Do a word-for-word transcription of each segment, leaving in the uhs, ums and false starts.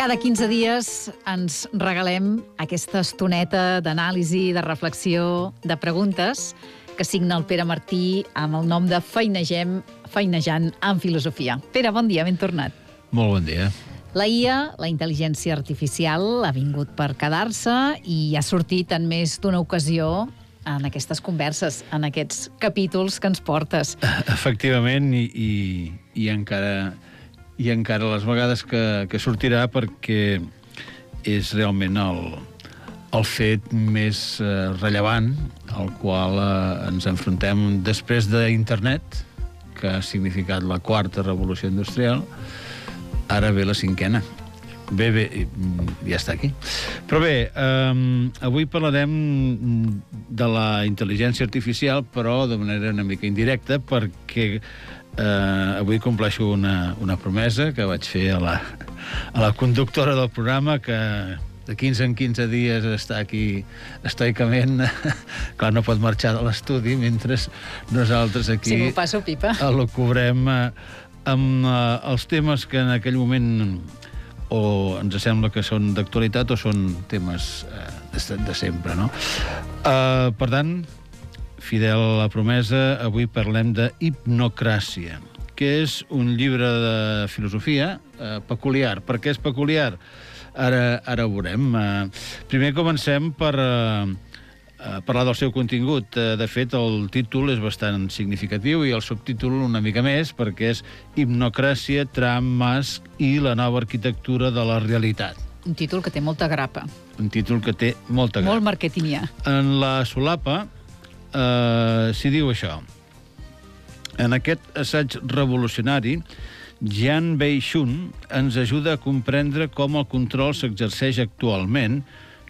Cada quinze dies ens regalem aquesta estoneta d'anàlisi, de reflexió, de preguntes que signa el Pere Martí amb el nom de Feinegem, Feinejant en Filosofia. Pere, bon dia, ben tornat. Molt bon dia. La I A, la intel·ligència artificial, ha vingut per quedar-se i ha sortit en més d'una ocasió en aquestes converses, en aquests capítols que ens portes. Efectivament, i, i, i encara... i encara les vegades que, que sortirà, perquè és realment el, el fet més eh, rellevant al qual eh, ens enfrontem després d'internet, que ha significat la quarta revolució industrial. Ara ve la cinquena. Bé, bé, ja està aquí. Però bé, eh, avui parlarem de la intel·ligència artificial, però de manera una mica indirecta, perquè Uh, avui compleixo una, una promesa que vaig fer a la, a la conductora del programa, que de quinze en quinze dies està aquí estoicament. Clar, no pot marxar de l'estudi mentre nosaltres aquí... Si m'ho passo pipa. ...elocubrem uh, amb uh, els temes que en aquell moment o ens sembla que són d'actualitat o són temes uh, de, de sempre, no? Uh, per tant, fidel a la promesa, avui parlem de Hipnocràcia, que és un llibre de filosofia eh, peculiar. Per què és peculiar? Ara, ara ho veurem. Eh, primer comencem per eh, parlar del seu contingut. Eh, de fet, el títol és bastant significatiu i el subtítol una mica més, perquè és Hipnocràcia, Trump, Musk i la nova arquitectura de la realitat. Un títol que té molta grapa. Un títol que té molta grapa. Molt marketingià. En la solapa Uh, s'hi diu això. En aquest assaig revolucionari, Jian Wei-Shun ens ajuda a comprendre com el control s'exerceix actualment,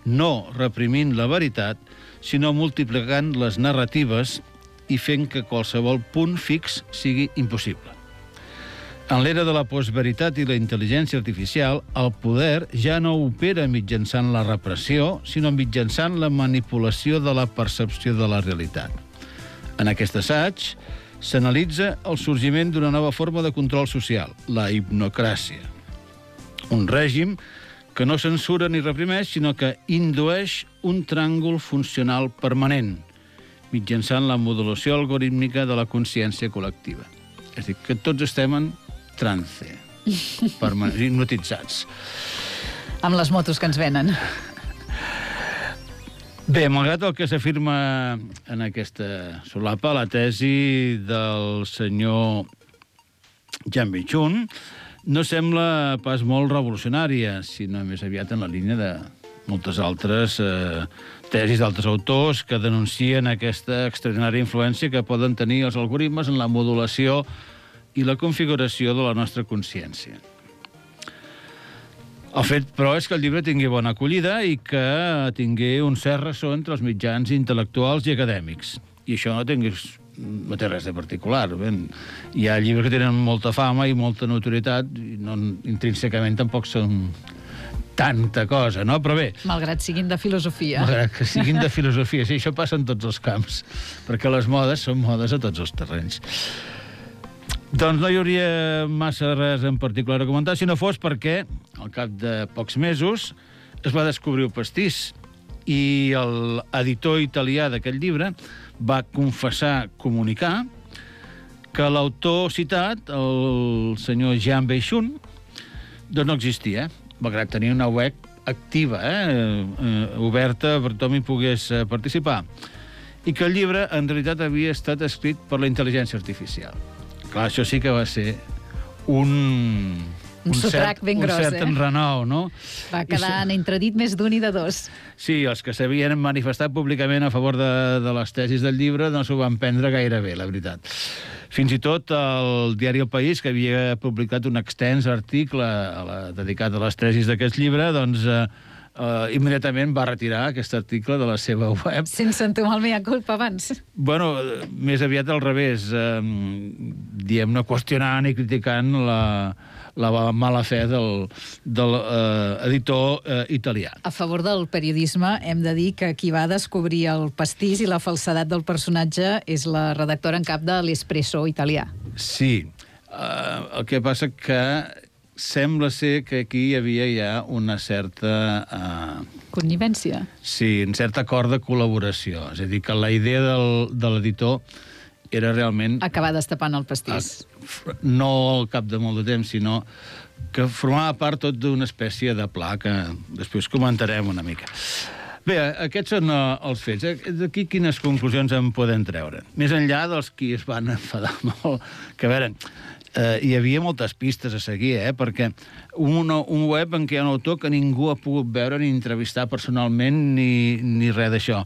no reprimint la veritat, sinó multiplicant les narratives i fent que qualsevol punt fix sigui impossible. En l'era de la postveritat i la intel·ligència artificial, el poder ja no opera mitjançant la repressió, sinó mitjançant la manipulació de la percepció de la realitat. En aquest assaig s'analitza el sorgiment d'una nova forma de control social, la hipnocràcia. Un règim que no censura ni reprimeix, sinó que indueix un tràngol funcional permanent, mitjançant la modulació algorítmica de la consciència col·lectiva. És a dir, que tots estem en trance, hipnotitzats. Amb les motos que ens venen. Bé, malgrat el que s'afirma en aquesta solapa, la tesi del senyor Jian Wei-Shun no sembla pas molt revolucionària, sinó més aviat en la línia de moltes altres eh, tesis d'altres autors que denuncien aquesta extraordinària influència que poden tenir els algoritmes en la modulació i la configuració de la nostra consciència. El fet, però, és que el llibre tingui bona acollida i que tingui un cert ressò entre els mitjans intel·lectuals i acadèmics. I això no, tinguis, no té res de particular. Ben, hi ha llibres que tenen molta fama i molta notorietat i no, intrínsecament tampoc són tanta cosa, no? Però bé... Malgrat siguin de filosofia. Malgrat que siguin de filosofia. Sí, això passa en tots els camps, perquè les modes són modes a tots els terrenys. Doncs no hi hauria massa res en particular a comentar, si no fos perquè, al cap de pocs mesos, es va descobrir el pastís i l'editor italià d'aquest llibre va confessar, comunicar, que l'autor citat, el senyor Jian Wei-Shun, doncs no existia, malgrat tenir una web activa, eh, eh, oberta per tothom hi pogués participar, i que el llibre en realitat havia estat escrit per la intel·ligència artificial. Clar, això sí que va ser un... Un, un sotrac ben gros, un cert eh? enrenou, no? Va quedar en entredit més d'un i de dos. Sí, els que s'havien manifestat públicament a favor de, de les tesis del llibre no s'ho van prendre gaire bé, la veritat. Fins i tot el diari El País, que havia publicat un extens article a la, dedicat a les tesis d'aquest llibre, doncs eh, eh, immediatament va retirar aquest article de la seva web. Sense entomar el mea culpa abans. Bueno, més aviat al revés, eh, diguem-ne, qüestionant i criticant la, la mala fe del, del eh, editor eh, italià. A favor del periodisme, hem de dir que qui va descobrir el pastís i la falsedat del personatge és la redactora en cap de l'Espresso italià. Sí, eh, el que passa que sembla ser que aquí hi havia ja una certa... Eh, Connivència. sí, un cert acord de col·laboració. És a dir, que la idea del, de l'editor era realment... Acabar destapant el pastís. A, no al cap de molt de temps, sinó que formava part tot d'una espècie de pla que després comentarem una mica. Bé, aquests són uh, els fets. D'aquí quines conclusions en podem treure? Més enllà dels qui es van enfadar molt, que a veure, uh, hi havia moltes pistes a seguir, eh? Perquè un, un web en què hi ha un autor que ningú ha pogut veure ni entrevistar personalment ni, ni res d'això.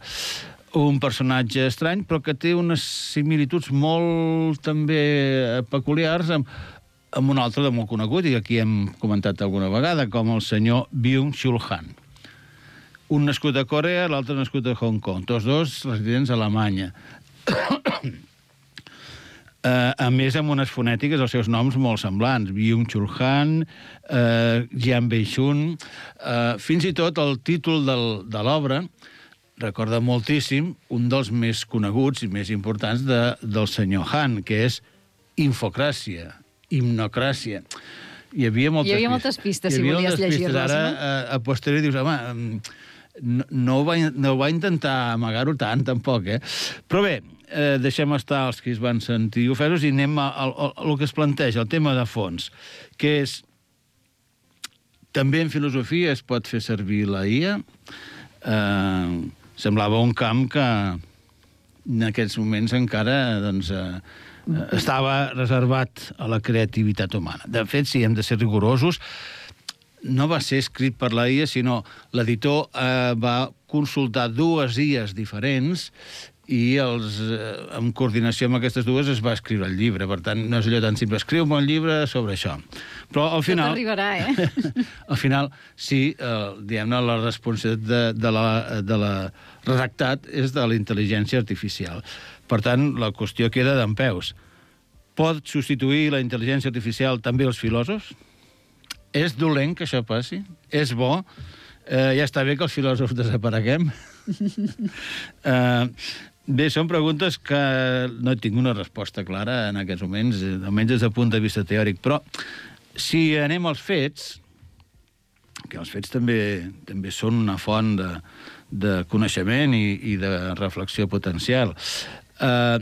Un personatge estrany, però que té unes similituds molt també peculiars amb, amb un altre de molt conegut, i aquí hem comentat alguna vegada, com el senyor Byung-Chul Han. Un nascut a Corea, l'altre nascut a Hong Kong. Tots dos residents a Alemanya. uh, a més, amb unes fonètiques, els seus noms molt semblants. Byung-Chul Han, uh, Jian Bei-shun... Uh, fins i tot el títol del, de l'obra recorda moltíssim un dels més coneguts i més importants de, del senyor Han, que és Infocràcia, Himnocràcia. Hi havia moltes, Hi havia moltes pistes, si volies llegir-les, Ara, no? a, a posteriori, dius, home, no, no, ho va, no ho va intentar amagar-ho tant, tampoc, eh? Però bé, eh, deixem estar els que es van sentir ofesos i anem al que es planteja, el tema de fons, que és... També en filosofia es pot fer servir la I A. Eh, semblava un camp que en aquests moments encara doncs, eh, estava reservat a la creativitat humana. De fet, si hem de ser rigorosos, no va ser escrit per la I A, sinó l'editor eh, va consultar dues I As diferents i els, eh, en coordinació amb aquestes dues es va escriure el llibre. Per tant, no és allò tan simple. Escriu-me un llibre sobre això. Però al final... Tot arribarà, eh? Al final, sí, eh, diguem-ne, la responsabilitat de, de, la, de la redactat és de la intel·ligència artificial. Per tant, la qüestió queda dempeus. Pot substituir la intel·ligència artificial també els filòsofs? És dolent que això passi? És bo? Eh, ja està bé que els filòsofs desapareguem? eh, bé, són preguntes que no tinc una resposta clara en aquests moments, almenys des del punt de vista teòric, però si anem als fets, que els fets també, també són una font de, de coneixement i, i de reflexió potencial, eh,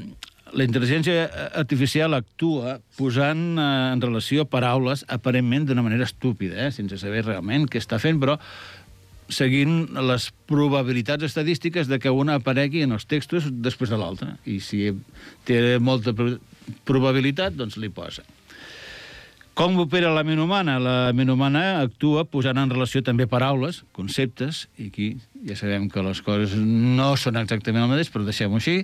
la intel·ligència artificial actua posant eh, en relació paraules aparentment d'una manera estúpida, eh, sense saber realment què està fent, però seguint les probabilitats estadístiques de que una aparegui en els textos després de l'altra. I si té molta probabilitat, doncs li posa. Com opera la ment humana? La ment humana actua posant en relació també paraules, conceptes, i aquí ja sabem que les coses no són exactament el mateix, però deixem-ho així,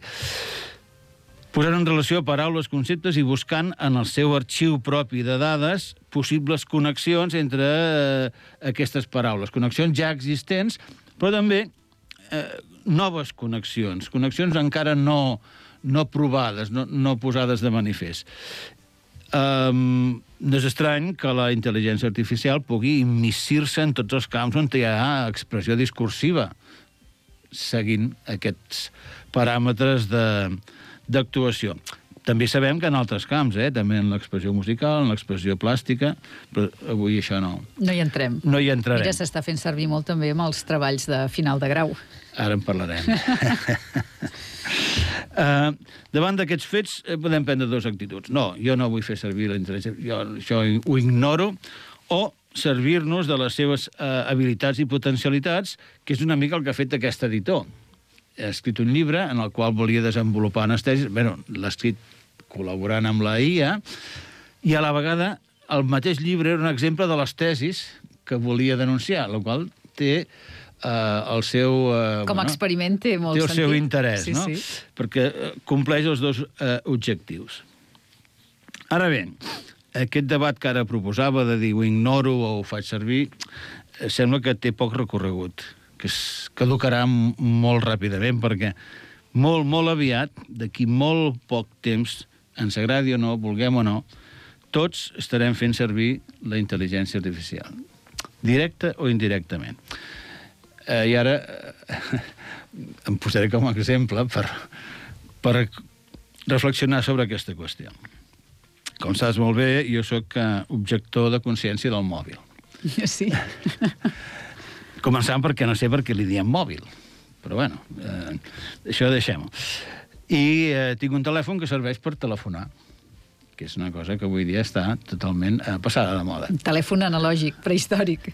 posant en relació paraules, conceptes i buscant en el seu arxiu propi de dades possibles connexions entre eh, aquestes paraules. Connexions ja existents, però també eh, noves connexions. Connexions encara no, no provades, no, no posades de manifest. Um, no és estrany que la intel·ligència artificial pugui immissir-se en tots els camps on hi ha expressió discursiva, seguint aquests paràmetres de... d'actuació. També sabem que en altres camps, eh? També en l'expressió musical, en l'expressió plàstica, però avui això no. No hi entrem. No hi entrarem. Mira, s'està fent servir molt també amb els treballs de final de grau. Ara en parlarem. uh, davant d'aquests fets eh, podem prendre dues actituds. No, jo no vull fer servir la intel·ligència, jo això ho ignoro, o servir-nos de les seves uh, habilitats i potencialitats, que és una mica el que ha fet aquest editor. Ha escrit un llibre en el qual volia desenvolupar unes tesis. Bé, l'ha escrit col·laborant amb la I A, i a la vegada el mateix llibre era un exemple de les tesis que volia denunciar, la qual té eh, el seu... Eh, Com a bueno, experiment té molt té el sentit. seu interès, sí, no? Sí. Perquè compleix els dos eh, objectius. Ara bé, aquest debat que ara proposava de dir ho ignoro o ho faig servir, eh, sembla que té poc recorregut, que es caducarà molt ràpidament, perquè molt, molt aviat, d'aquí molt poc temps, ens agradi o no, vulguem o no, tots estarem fent servir la intel·ligència artificial, directa o indirectament. Eh, I ara eh, em posaré com a exemple per, per reflexionar sobre aquesta qüestió. com saps molt bé, jo sóc uh, objector de consciència del mòbil. Sí. Començant perquè no sé per què li diem mòbil. Però bueno, eh, això deixem-ho. I eh, tinc un telèfon que serveix per telefonar, que és una cosa que avui dia està totalment eh, passada de moda. Un telèfon analògic, prehistòric.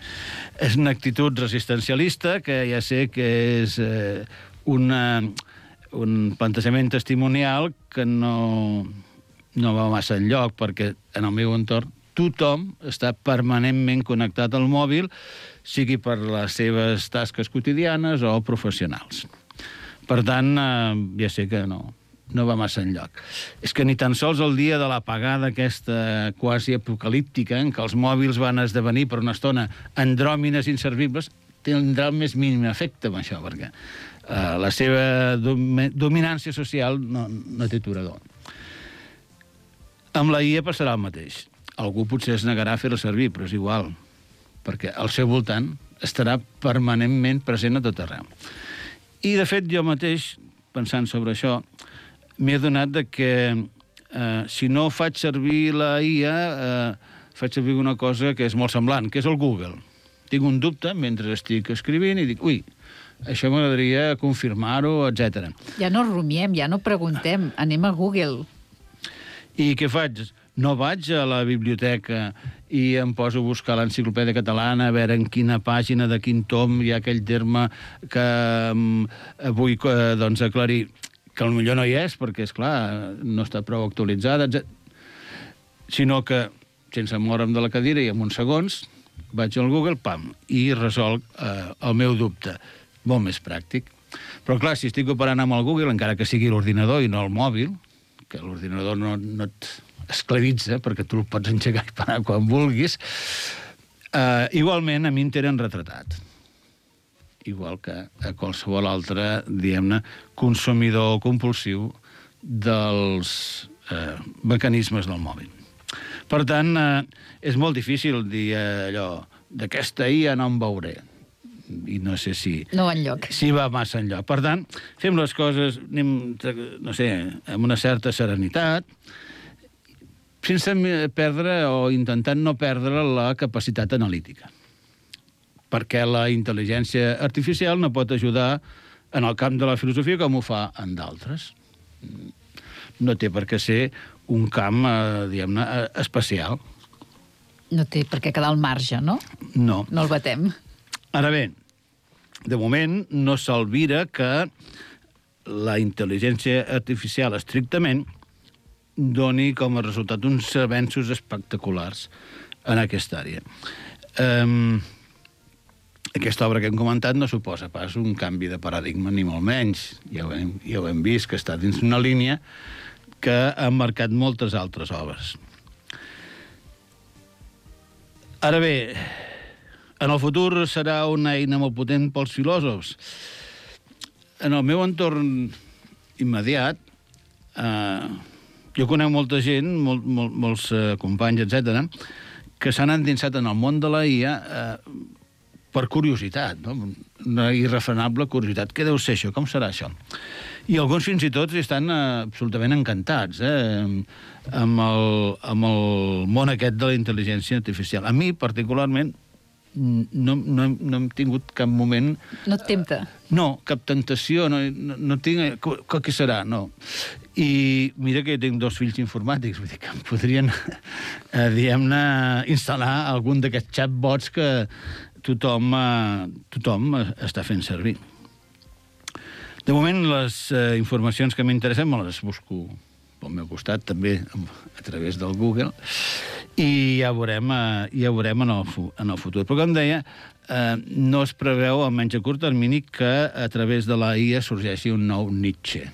És una actitud resistencialista que ja sé que és eh, una, un plantejament testimonial que no, no va massa enlloc, perquè en el meu entorn tothom està permanentment connectat al mòbil, sigui per les seves tasques quotidianes o professionals. Per tant, eh, ja sé que no, no va massa enlloc. És que ni tan sols el dia de l'apagada aquesta quasi apocalíptica, en què els mòbils van esdevenir per una estona andròmines inservibles, tindrà el més mínim efecte amb això, perquè eh, la seva dom dominància social no, no té aturador. Amb la I A passarà el mateix. Algú potser es negarà a fer-la servir, però és igual, perquè al seu voltant estarà permanentment present a tot arreu. I, de fet, jo mateix, pensant sobre això, m'he adonat de que eh, si no faig servir la I A, eh, faig servir una cosa que és molt semblant, que és el Google. Tinc un dubte mentre estic escrivint i dic, ui, això m'agradaria confirmar-ho, etcètera. Ja no rumiem, ja no preguntem, anem a Google. I què faig? No vaig a la biblioteca i em poso a buscar l'enciclopèdia catalana, a veure en quina pàgina de quin tom hi ha aquell terme que um, vull uh, doncs, aclarir, que potser no hi és, perquè, és clar, no està prou actualitzada, etcètera. Sinó que, sense moure'm de la cadira i en uns segons, vaig al Google, pam, i resolc uh, el meu dubte. Molt més pràctic. Però, clar, si estic operant amb el Google, encara que sigui l'ordinador i no el mòbil, que l'ordinador no, no et esclavitza, perquè tu el pots engegar i parar quan vulguis, eh, igualment a mi em tenen retratat. Igual que a qualsevol altre, diguem-ne, consumidor compulsiu dels eh, mecanismes del mòbil. Per tant, eh, és molt difícil dir eh, allò, d'aquesta I A no em veuré. I no sé si... No enlloc. Si va massa enlloc. Per tant, fem les coses, anem, no sé, amb una certa serenitat, sense perdre o intentant no perdre la capacitat analítica. Perquè la intel·ligència artificial no pot ajudar en el camp de la filosofia com ho fa en d'altres. No té per què ser un camp, eh, diguem-ne, especial. No té per què quedar al marge, no? No. No el batem. Ara bé, de moment no s'alvira que la intel·ligència artificial estrictament doni com a resultat uns avenços espectaculars en aquesta àrea. Um, aquesta obra que hem comentat no suposa pas un canvi de paradigma, ni molt menys. Ja ho hem, ja ho hem vist, que està dins una línia que ha marcat moltes altres obres. Ara bé, en el futur serà una eina molt potent pels filòsofs. En el meu entorn immediat, eh, jo conec molta gent, molt, molt, molts eh, companys, etcètera, que s'han endinsat en el món de la I A eh, per curiositat, no? Una irrefrenable curiositat. Què deu ser això? Com serà això? I alguns fins i tot estan eh, absolutament encantats eh, amb, el, amb el món aquest de la intel·ligència artificial. A mi, particularment, no, no, no hem tingut cap moment... No et tempta? No, cap tentació, no, no, no tinc... Què serà? No. I mira que tinc dos fills informàtics, vull dir que em podrien, eh, diguem-ne, instal·lar algun d'aquests chatbots que tothom, eh, tothom està fent servir. De moment, les eh, informacions que m'interessen me les busco pel meu costat, també a través del Google, i ja veurem, eh, ja veurem en, el, en el futur. Però, com deia, eh, no es preveu, almenys a curt termini, que a través de la I A sorgeixi un nou Nietzsche.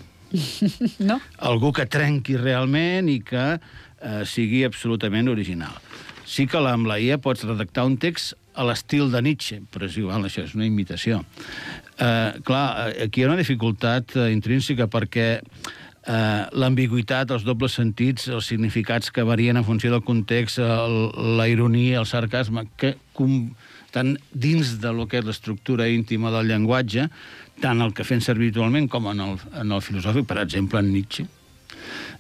No? Algú que trenqui realment i que eh, sigui absolutament original. Sí que amb la I A pots redactar un text a l'estil de Nietzsche, però és igual, això és una imitació. Eh, clar, aquí hi ha una dificultat eh, intrínseca perquè eh, l'ambigüitat, els dobles sentits, els significats que varien en funció del context, el, la ironia, el sarcasme, que com, tant dins de lo que és l'estructura íntima del llenguatge, tant el que fem servir habitualment com en el, en el filosòfic, per exemple, en Nietzsche,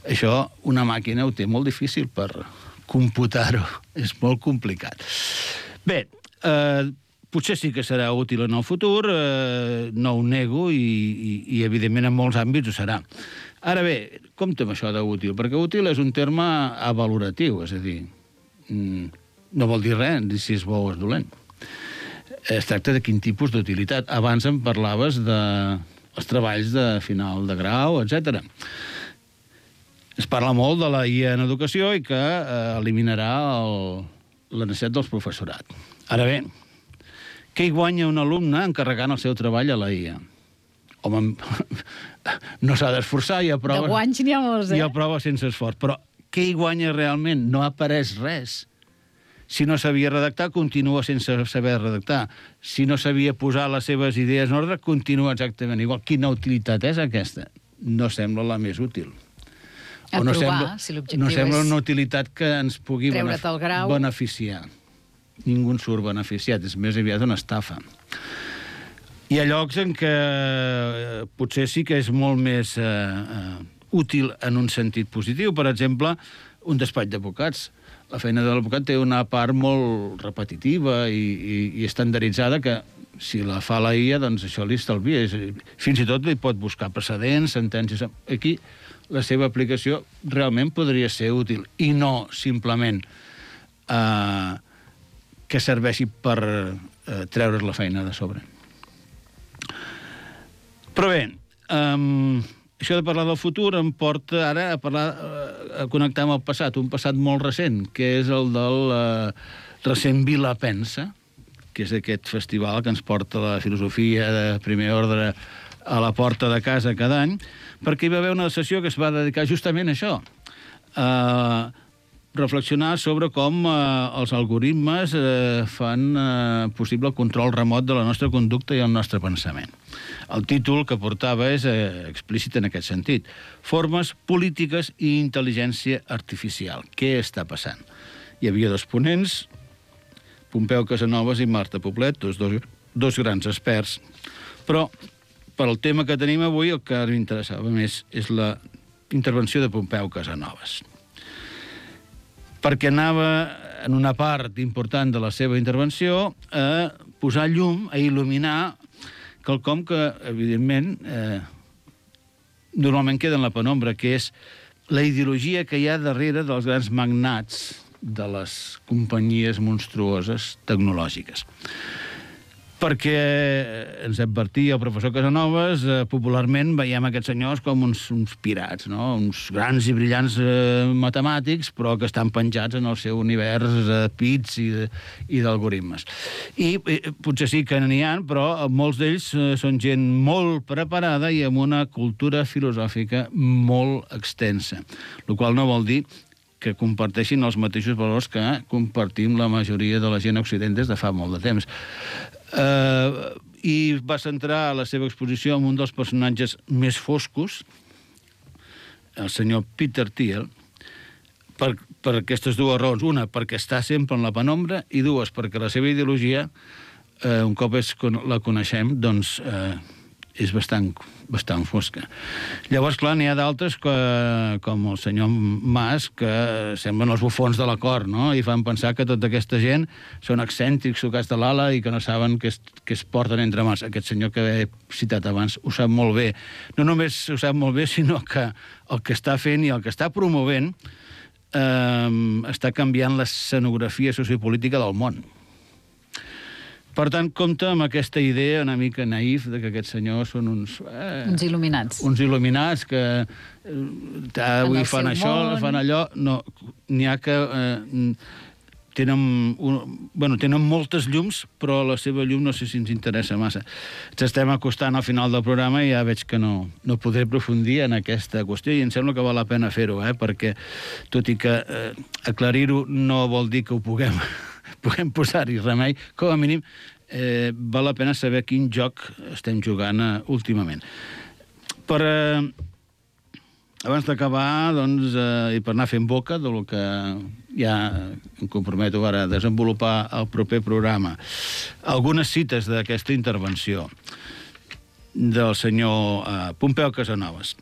Això una màquina ho té molt difícil per computar-ho. És molt complicat. Bé, eh, potser sí que serà útil en el futur, eh, no ho nego, i, i, i evidentment en molts àmbits ho serà. Ara bé, compte amb això d'útil, perquè útil és un terme avaloratiu, és a dir, no vol dir res si és bo o és dolent. Es tracta de quin tipus d'utilitat. Abans em parlaves dels treballs de final de grau, etcètera. Es parla molt de la I A en educació i que eh, eliminarà el, la necessitat dels professorat. Ara bé, què hi guanya un alumne encarregant el seu treball a la I A? Home, no s'ha d'esforçar i aprova... De guanys n'hi ha molts, eh? I aprova sense esforç. Però què hi guanya realment? No apareix res. Si no sabia redactar, continua sense saber redactar. Si no sabia posar les seves idees en ordre, continua exactament igual. Quina utilitat és aquesta? No sembla la més útil. A no provar, sembla, si l'objectiu no sembla és una utilitat que ens pugui treure't el grau. beneficiar. Ningú en surt beneficiat, és més aviat una estafa. Hi ha llocs en què eh, potser sí que és molt més eh, eh, útil en un sentit positiu. Per exemple, un despatx d'advocats. La feina de l'advocat té una part molt repetitiva i, i, i estandarditzada que si la fa la I A, doncs això li estalvia. Fins i tot li pot buscar precedents, sentències... Aquí la seva aplicació realment podria ser útil i no simplement eh, que serveixi per eh, treure's la feina de sobre. Però bé, um, això de parlar del futur em porta ara a parlar, a connectar amb el passat, un passat molt recent, que és el del uh, recent Vila Pensa, que és aquest festival que ens porta la filosofia de primer ordre a la porta de casa cada any, perquè hi va haver una sessió que es va dedicar justament a això, a reflexionar sobre com eh, els algoritmes eh, fan eh, possible el control remot de la nostra conducta i el nostre pensament. El títol que portava és eh, explícit en aquest sentit. Formes polítiques i intel·ligència artificial. Què està passant? Hi havia dos ponents, Pompeu Casanovas i Marta Poblet, dos, dos, dos grans experts, però per al tema que tenim avui el que m'interessava més és la intervenció de Pompeu Casanovas. Perquè anava, en una part important de la seva intervenció, a posar llum, a il·luminar quelcom que, evidentment, eh, normalment queda en la penombra, que és la ideologia que hi ha darrere dels grans magnats de les companyies monstruoses tecnològiques. Perquè ens advertia el professor Casanovas, eh, popularment veiem aquests senyors com uns, uns pirats, no? Uns grans i brillants eh, matemàtics, però que estan penjats en el seu univers de pits i, de, i d'algoritmes. I eh, potser sí que n'hi ha, però molts d'ells eh, són gent molt preparada i amb una cultura filosòfica molt extensa, el qual no vol dir que comparteixin els mateixos valors que compartim la majoria de la gent occident des de fa molt de temps. Uh, I va centrar la seva exposició en un dels personatges més foscos, el senyor Peter Thiel, per, per aquestes dues raons. Una, perquè està sempre en la penombra, i dues, perquè la seva ideologia, uh, un cop és, la coneixem, doncs uh, és bastant, bastant fosca. Llavors, clar, n'hi ha d'altres que, com el senyor Mas, que semblen els bufons de la cort, no? I fan pensar que tota aquesta gent són excèntrics, sucats de l'ala i que no saben què es, què es porten entre mans. Aquest senyor que he citat abans ho sap molt bé. No només ho sap molt bé, sinó que el que està fent i el que està promovent eh, està canviant l'escenografia sociopolítica del món. Per tant, compta amb aquesta idea una mica naïf de que aquests senyors són uns... Eh, uns il·luminats. Uns il·luminats que eh, avui fan això, món. fan allò... No, n'hi ha que eh, tenen, un, bueno, tenen moltes llums, però la seva llum no sé si ens interessa massa. Ens estem acostant al final del programa i ja veig que no, no podré aprofundir en aquesta qüestió i em sembla que val la pena fer-ho, eh, perquè, tot i que eh, aclarir-ho no vol dir que ho puguem... puguem posar-hi remei, com a mínim eh, val la pena saber quin joc estem jugant eh, últimament. Per, eh, abans d'acabar, doncs, eh, i per anar fent boca del que ja em comprometo ara a desenvolupar el proper programa, algunes cites d'aquesta intervenció del senyor eh, Pompeu Casanovas.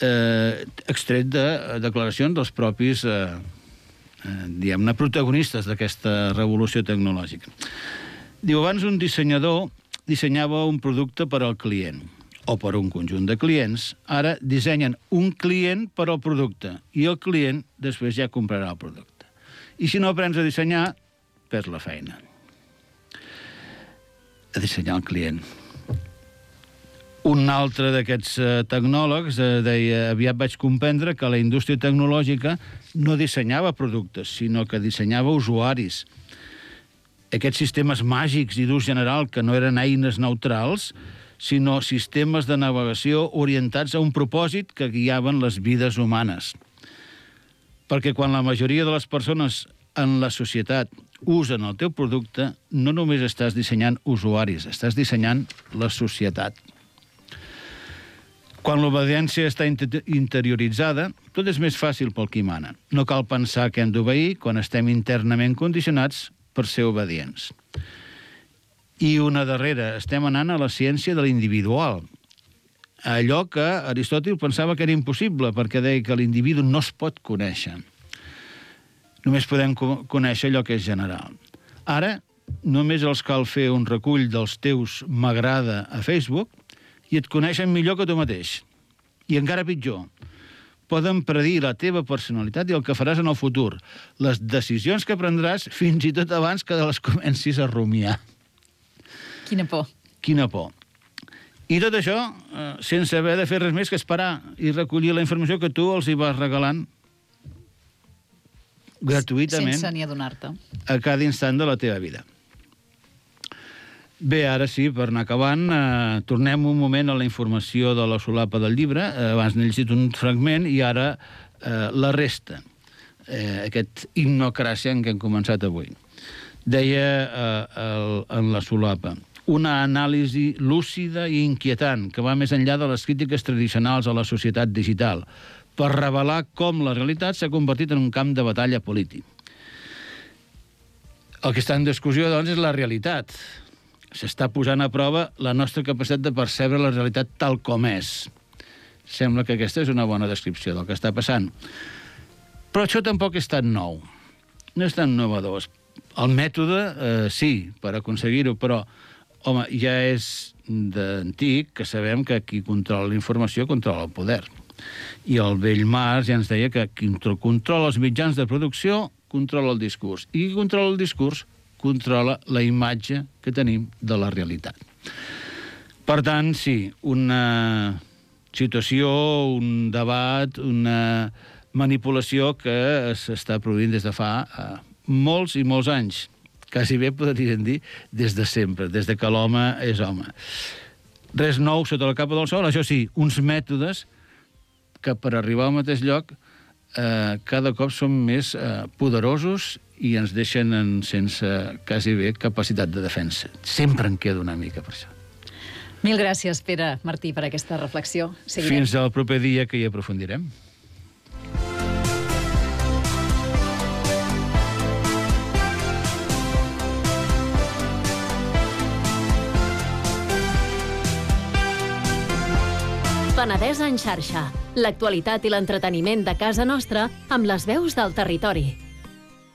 eh, extret de declaracions dels propis, eh, eh, diguem-ne, protagonistes d'aquesta revolució tecnològica. Diu, abans un dissenyador dissenyava un producte per al client, o per un conjunt de clients. Ara dissenyen un client per al producte, i el client després ja comprarà el producte. I si no aprens a dissenyar, perds la feina. A dissenyar el client. Un altre d'aquests eh, tecnòlegs eh, deia, aviat vaig comprendre que la indústria tecnològica no dissenyava productes, sinó que dissenyava usuaris. Aquests sistemes màgics i d'ús general, que no eren eines neutrals, sinó sistemes de navegació orientats a un propòsit que guiaven les vides humanes. Perquè quan la majoria de les persones en la societat usen el teu producte, no només estàs dissenyant usuaris, estàs dissenyant la societat. Quan l'obediència està interioritzada, tot és més fàcil pel qui mana. No cal pensar que hem d'obeir quan estem internament condicionats per ser obedients. I una darrera, estem anant a la ciència de l'individual. Allò que Aristòtil pensava que era impossible, perquè deia que l'individu no es pot conèixer. Només podem conèixer allò que és general. Ara, només els cal fer un recull dels teus m'agrada a Facebook i et coneixen millor que tu mateix. I encara pitjor, poden predir la teva personalitat i el que faràs en el futur, les decisions que prendràs fins i tot abans que les comencis a rumiar. Quina por. Quina por. I tot això eh, sense haver de fer res més que esperar i recollir la informació que tu els hi vas regalant gratuïtament sense ni adonar-te a cada instant de la teva vida. Bé, ara sí, per anar acabant, eh, tornem un moment a la informació de la solapa del llibre. Eh, abans n'he llegit un fragment i ara eh, la resta. Eh, aquest himnocràcia en què hem començat avui. Deia eh, el, en la solapa, una anàlisi lúcida i inquietant que va més enllà de les crítiques tradicionals a la societat digital, per revelar com la realitat s'ha convertit en un camp de batalla polític. El que està en discussió, doncs, és la realitat. S'està posant a prova la nostra capacitat de percebre la realitat tal com és. Sembla que aquesta és una bona descripció del que està passant. Però això tampoc és tan nou. No és tan innovador. El mètode, eh, sí, per aconseguir-ho, però, home, ja és d'antic que sabem que qui controla la informació controla el poder. I el vell Marx ja ens deia que qui controla els mitjans de producció controla el discurs. I qui controla el discurs controla la imatge que tenim de la realitat. Per tant, sí, una situació, un debat, una manipulació que s'està produint des de fa eh, molts i molts anys. Quasi bé podríem dir des de sempre, des de que l'home és home. Res nou sota la capa del sol, això sí, uns mètodes que per arribar al mateix lloc eh, cada cop són més eh, poderosos i ens deixen en, sense quasi bé capacitat de defensa. Sempre en queda una mica per això. Mil gràcies, Pere Martí, per aquesta reflexió. Seguirem. Fins al proper dia que hi aprofundirem. Penedès en xarxa. L'actualitat i l'entreteniment de casa nostra amb les veus del territori.